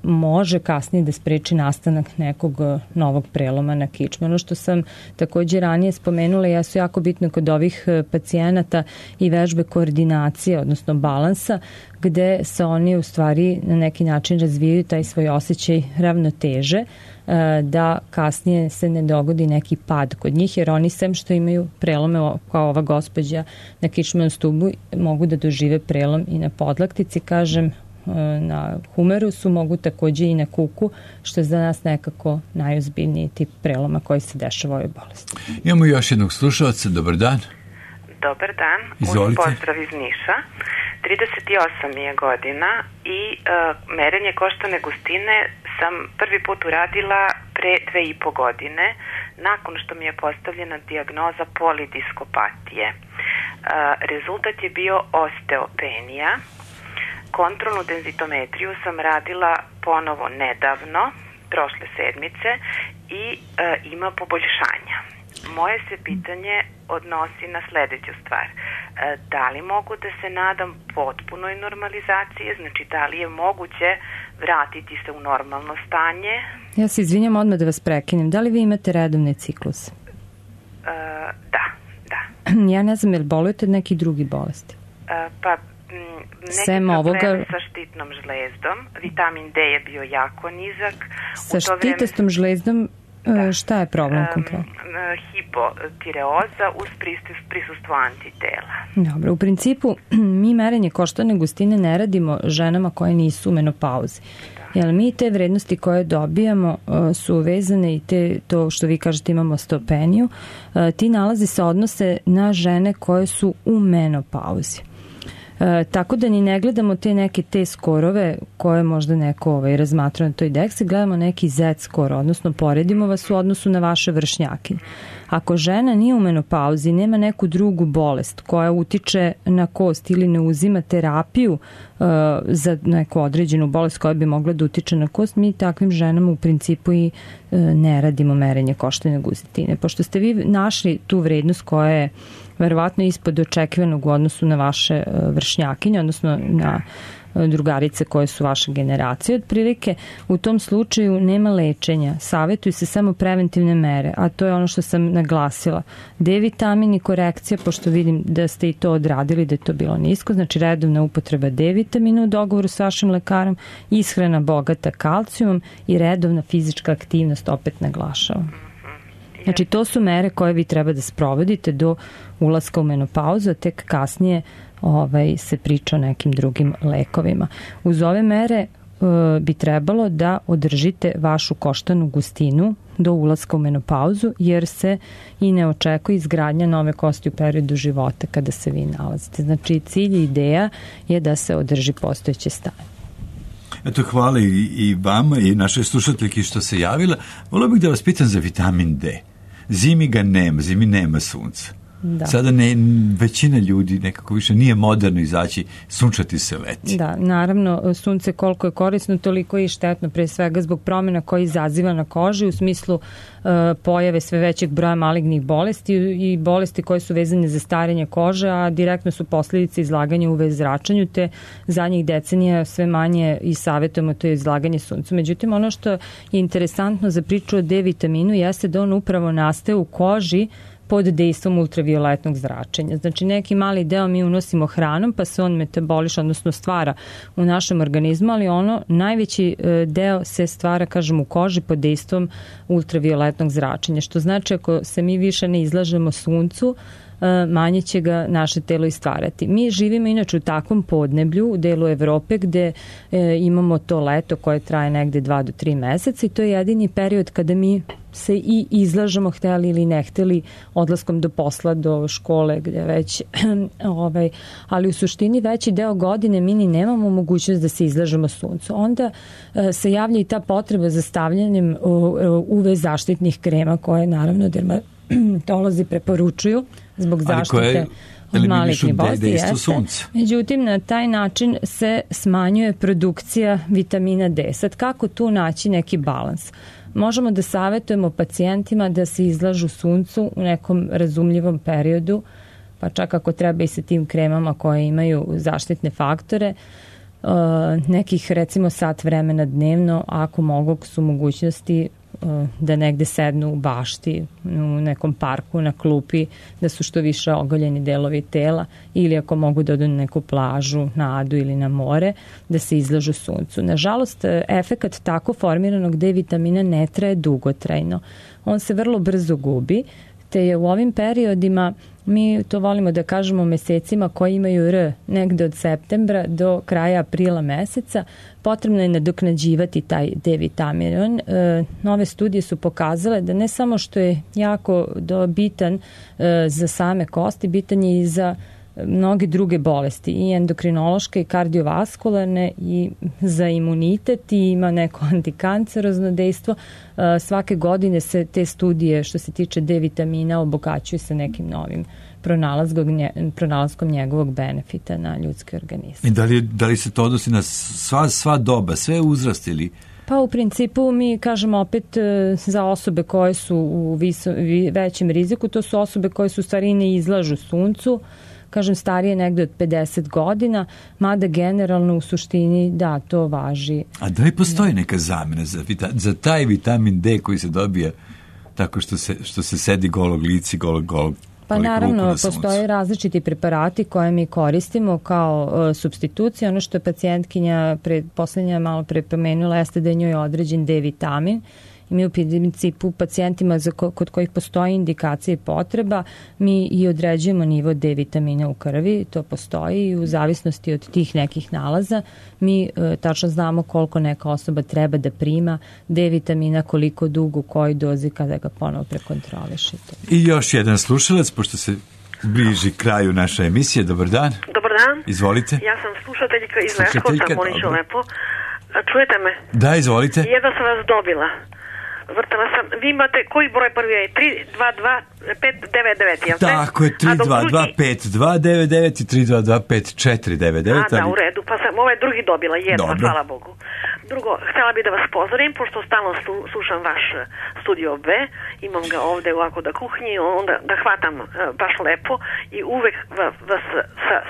može kasnije da spreči nastanak nekog novog preloma na kičmenu. Što sam takođe ranije spomenula, jesu jako bitno kod ovih pacijenata i vežbe koordinacije, odnosno balansa, gde se oni u stvari na neki način razvijaju taj svoj osjećaj ravnoteže, da kasnije se ne dogodi neki pad kod njih, jer oni sem što imaju prelome kao ova gospođa na kičmenom stubu, mogu da dožive prelom i na podlaktici, kažem, na humerusu, mogu takođe i na kuku, što je za nas nekako najozbiljniji tip preloma koji se dešava u ovoj bolesti. Imamo još jednog slušalca, dobar dan. Dobar dan, izvolite. Pozdrav iz Niša. 38 mi je godina i merenje koštane gustine sam prvi put uradila pre 2,5 godine, nakon što mi je postavljena dijagnoza polidiskopatije. Rezultat je bio osteopenija. Kontrolnu denzitometriju sam radila ponovo nedavno, prošle sedmice, i ima poboljšanja. Moje se pitanje odnosi na sledeću stvar. Da li mogu da se nadam potpunoj normalizaciji, znači da li je moguće vratiti se u normalno stanje? Ja se izvinjam odmah da vas prekinem. Da li vi imate redovne cikluse? Da. Ja ne znam, je li bolujete od nekih drugih bolesti? Pa neke probleme sa štitnom žlezdom. Vitamin D je bio jako nizak. Sa štitestom žlezdom šta je problem konkretno? Hipotireoza uz prisustvo antitela. Dobro, u principu mi merenje koštane gustine ne radimo ženama koje nisu u menopauzi. Jer mi te vrednosti koje dobijamo su vezane i to što vi kažete imamo osteopeniju, ti nalazi se odnose na žene koje su u menopauzi. Tako da ni ne gledamo te neke skorove koje možda neko razmatra na toj deksi, gledamo neki Z skor, odnosno poredimo vas u odnosu na vaše vršnjakinje. Ako žena nije u menopauzi, nema neku drugu bolest koja utiče na kost ili ne uzima terapiju za neku određenu bolest koja bi mogla da utiče na kost, mi takvim ženama u principu i ne radimo merenje koštane gustine. Pošto ste vi našli tu vrednost koja je verovatno ispod očekivanog u odnosu na vaše vršnjakinje, odnosno na drugarice koje su vaše generacije. Otprilike u tom slučaju nema lečenja, savjetuju se samo preventivne mere, a to je ono što sam naglasila. D vitamin i korekcija, pošto vidim da ste i to odradili, da je to bilo nisko, znači redovna upotreba D vitamina u dogovoru s vašim lekarom, ishrana bogata kalcijumom i redovna fizička aktivnost, opet naglašavam. Znači, to su mere koje vi treba da sprovodite do ulaska u menopauzu, a tek kasnije se priča o nekim drugim lekovima. Uz ove mere bi trebalo da održite vašu koštanu gustinu do ulaska u menopauzu, jer se i ne očekuje izgradnja nove kosti u periodu života kada se vi nalazite. Znači, cilj i ideja je da se održi postojeće stanje. Eto, hvala i vama i našoj slušateljki što se javila. Volio bih da vas pitam za vitamin D. Zimi ga nema, zimi nema sunca. Da. Sada većina ljudi nekako više nije moderno izaći sunčati se leti. Da, naravno, sunce koliko je korisno, toliko je i štetno, pre svega zbog promjena koje izaziva na koži u smislu pojave sve većeg broja malignih bolesti i bolesti koje su vezane za starenje kože, a direktno su posljedice izlaganja UV zračenju, te zadnjih decenija sve manje i savjetujemo to je izlaganje suncu. Međutim, ono što je interesantno za priču o D vitaminu jeste da on upravo nastaje u koži pod dejstvom ultravioletnog zračenja. Znači, neki mali deo mi unosimo hranom, pa se on metaboliše, odnosno stvara u našem organizmu, ali najveći deo se stvara, kažem, u koži pod dejstvom ultravioletnog zračenja, što znači ako se mi više ne izlažemo suncu, manje će ga naše telo i stvarati. Mi živimo inače u takvom podneblju u delu Evrope gde imamo to leto koje traje negde 2 do 3 meseca i to je jedini period kada mi se i izlažemo, hteli ili ne hteli, odlaskom do posla, do škole, gde već, ali u suštini veći deo godine mi ni nemamo mogućnost da se izlažemo suncu. Onda se javlja i ta potreba za stavljanjem UV zaštitnih krema koje naravno dermatolozi preporučuju zbog zaštite od malignih bolesti. Dejstvo sunca. Međutim, na taj način se smanjuje produkcija vitamina D. Sad, kako tu naći neki balans? Možemo da savjetujemo pacijentima da se izlažu suncu u nekom razumljivom periodu, pa čak ako treba i sa tim kremama koje imaju zaštitne faktore, nekih recimo sat vremena dnevno, ako mogu su mogućnosti da negde sednu u bašti, u nekom parku, na klupi, da su što više ogoljeni delovi tela, ili ako mogu da odu na neku plažu, na Adu ili na more, da se izlažu suncu. Nažalost, efekat tako formiranog D vitamina ne traje dugotrajno. On se vrlo brzo gubi, te je u ovim periodima, mi to volimo da kažemo mesecima koji imaju R, negde od septembra do kraja aprila meseca, potrebno je nadoknađivati taj D vitamin. Nove studije su pokazale da ne samo što je jako bitan za same kosti, bitan je i za mnoge druge bolesti, i endokrinološke i kardiovaskularne, i za imunitet, i ima neko antikancerozno dejstvo. Svake godine se te studije što se tiče D vitamina obogaćuju sa nekim novim pronalaskom njegovog benefita na ljudski organizam. I da li se to odnosi na sva doba, sve uzrasti ili? Pa u principu mi kažemo opet za osobe koje su u većem riziku, to su osobe koje su u stvari ne izlažu suncu, kažem starije negde od 50 godina, mada generalno u suštini da, to važi. A da li postoji neka zamena za taj vitamin D koji se dobija tako što se sedi golog lici, golog Pa naravno, postoje različiti preparati koje mi koristimo kao supstitucija. Ono što je pacijentkinja poslednja malo pre pomenula jeste da je njoj određen D vitamin. I mi u principu pacijentima kod kojih postoji indikacija i potreba, mi i određujemo nivo D vitamina u krvi, to postoji, i u zavisnosti od tih nekih nalaza mi tačno znamo koliko neka osoba treba da prima D vitamina, koliko dugo, u kojoj dozi, kada ga ponovo prekontrolišite. I još jedan slušalac, pošto se bliži kraju naše emisije. Dobar dan. Dobar dan. Izvolite. Ja sam slušateljka iz Leskovca, molim ću lepo. Čujete me? Da, izvolite. Jedva sam vas dobila. Vrtala sam. Vi imate, koji broj prvi je? 322-599, jel te? Tako je, 322-529 i 322-5499. Da, u redu. Pa sam ovaj drugi dobila, jedva, hvala Bogu. Drugo, htjela bih da vas pozorim, pošto stalno slušam vaš Studio B, imam ga ovde ovako da kuhnji, onda da hvatam baš lepo i uvek vas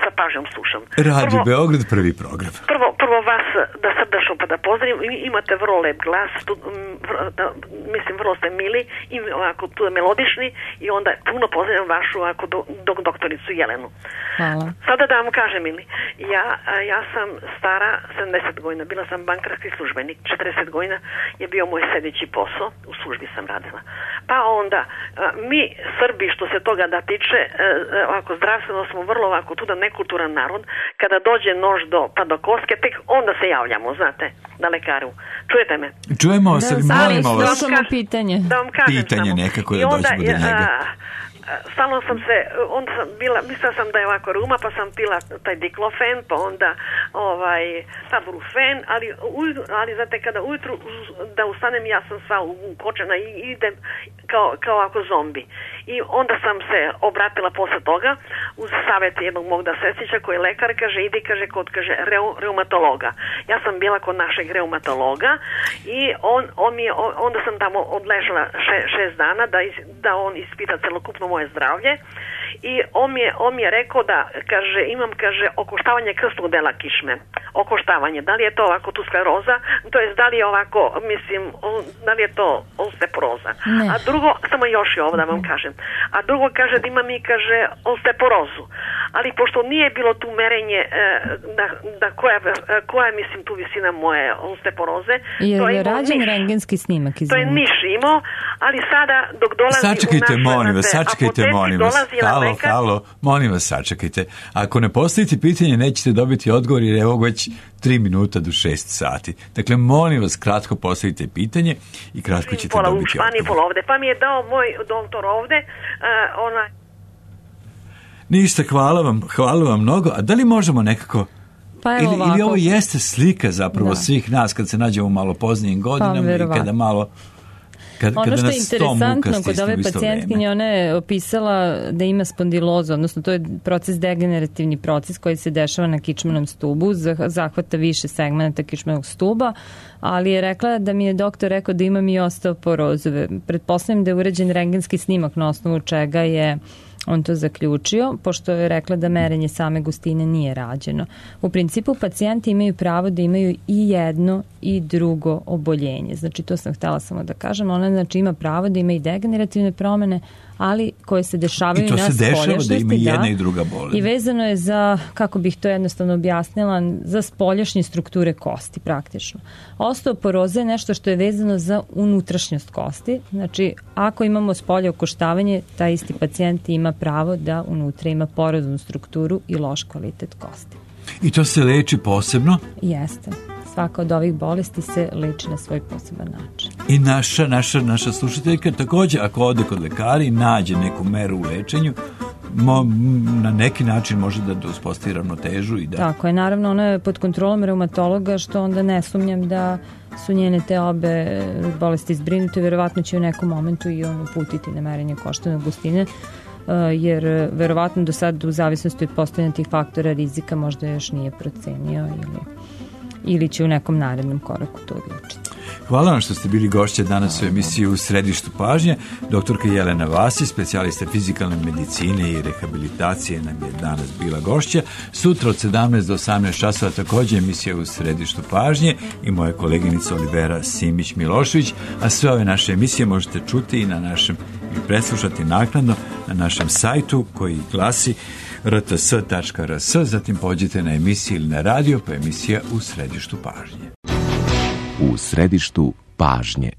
sa pažnjom slušam. Radio Beograd, prvi program. Prvo vas da srdačno pa da pozdravim, imate vrlo lep glas, mislim vrlo ste mili i ovako tu melodični, i onda puno pozdravim vašu ovako doktoricu Jelenu. Hvala. Sada da vam kažem, mili, ja sam stara 70 godina, bila sam bankarski službenik, 40 godina je bio moj sljedeći posao, u službi sam radila. Pa onda, mi Srbi što se toga da tiče, ovako zdravstveno smo vrlo ovako tu da nekulturan narod, kada dođe nož do koske, tek onda se javljamo, znate, na lekaru. Čujete me? Čujemo se, molimo vas. Pitanje. Da vam kažem pitanje samo. nekako da dođemo do njega. Stalno sam se, onda sam bila, mislila sam da je ovako ruma, pa sam pila taj diklofen, pa onda taburufen, ali znate, kada ujutru da ustanem, ja sam sva ukočena i idem kao ako zombi. I onda sam se obratila posle toga uz savjet jednog mog sestrića koji je lekar, kaže, idi, kod reumatologa. Ja sam bila kod našeg reumatologa i onda sam tamo odležala 6 dana da on ispita celokupno moje zdravlje, i on mi je rekao da, kaže, imam, kaže, okoštavanje krstnog dela kičme. Okoštavanje, da li je to ovako tu skleroza, to jest da li je ovako, mislim, da li je to osteoporoza. A drugo, samo još je ovo da vam kažem, a drugo kaže da ima mi, kaže, osteoporozu. Ali pošto nije bilo tu merenje da koja je, mislim, tu visina moje osteoporoze. Je rađen rentgenski snimak? To je niš imao, ali sada dok dolazi sačekajte, molim vas. Halo, molim vas, sačekajte. Ako ne postavite pitanje, nećete dobiti odgovor, jer evo već 3 minuta do 6 sati. Dakle, molim vas, kratko postavite pitanje i kratko ćete dobiti odgovor. Pa mi je dao moj doktor ovde, Ništa, hvala vam mnogo. A da li možemo nekako... Ili ovo jeste slika zapravo svih nas kad se nađemo malo poznijim godinama i kada malo... Ono što je interesantno kod ove pacijentkinje, ona je opisala da ima spondilozu, odnosno to je proces, degenerativni proces koji se dešava na kičmenom stubu, zahvata više segmenta kičmenog stuba, ali je rekla da mi je doktor rekao da imam i osteoporozu. Pretpostavljam da je urađen rentgenski snimak na osnovu čega je on to zaključio, pošto je rekla da merenje same gustine nije rađeno. U principu pacijenti imaju pravo da imaju i jedno i drugo oboljenje. Znači to sam htjela samo da kažem. Ona znači ima pravo da ima i degenerativne promene, ali koje se dešavaju na spoljašnjosti. I to se dešava da ima i jedna i druga bolest. I vezano je za, kako bih to jednostavno objasnila, za spoljašnje strukture kosti praktično. Osteoporoza je nešto što je vezano za unutrašnjost kosti. Znači, ako imamo spolje okoštavanje, taj isti pacijent ima pravo da unutra ima poroznu strukturu i loš kvalitet kosti. I to se leči posebno? Jeste. Svaka od ovih bolesti se leči na svoj poseban način. I naša slušateljka također, ako ode kod lekara i nađe neku meru u lečenju, na neki način može da uspostavi ravnotežu i da... Tako je, naravno ona je pod kontrolom reumatologa, što onda ne sumnjam da su njene te obe bolesti zbrinute, verovatno će u nekom momentu i on uputiti na merenje koštane gustine, jer verovatno do sad u zavisnosti od postojanja tih faktora rizika možda još nije procenio ili će u nekom narednom koraku to odlučiti. Hvala vam što ste bili gošće danas u emisiji U središtu pažnje. Doktorka Jelena Vasić, specijalista fizikalne medicine i rehabilitacije, nam je danas bila gošća. Sutra od 17 do 18 časova također emisija U središtu pažnje i moja koleginica Olivera Simić-Milošević, a sve ove naše emisije možete čuti i na našem i preslušati naknadno na našem sajtu koji glasi rts.rs, zatim pođite na emisiju ili na radio, pa emisija U središtu pažnje. U središtu pažnje.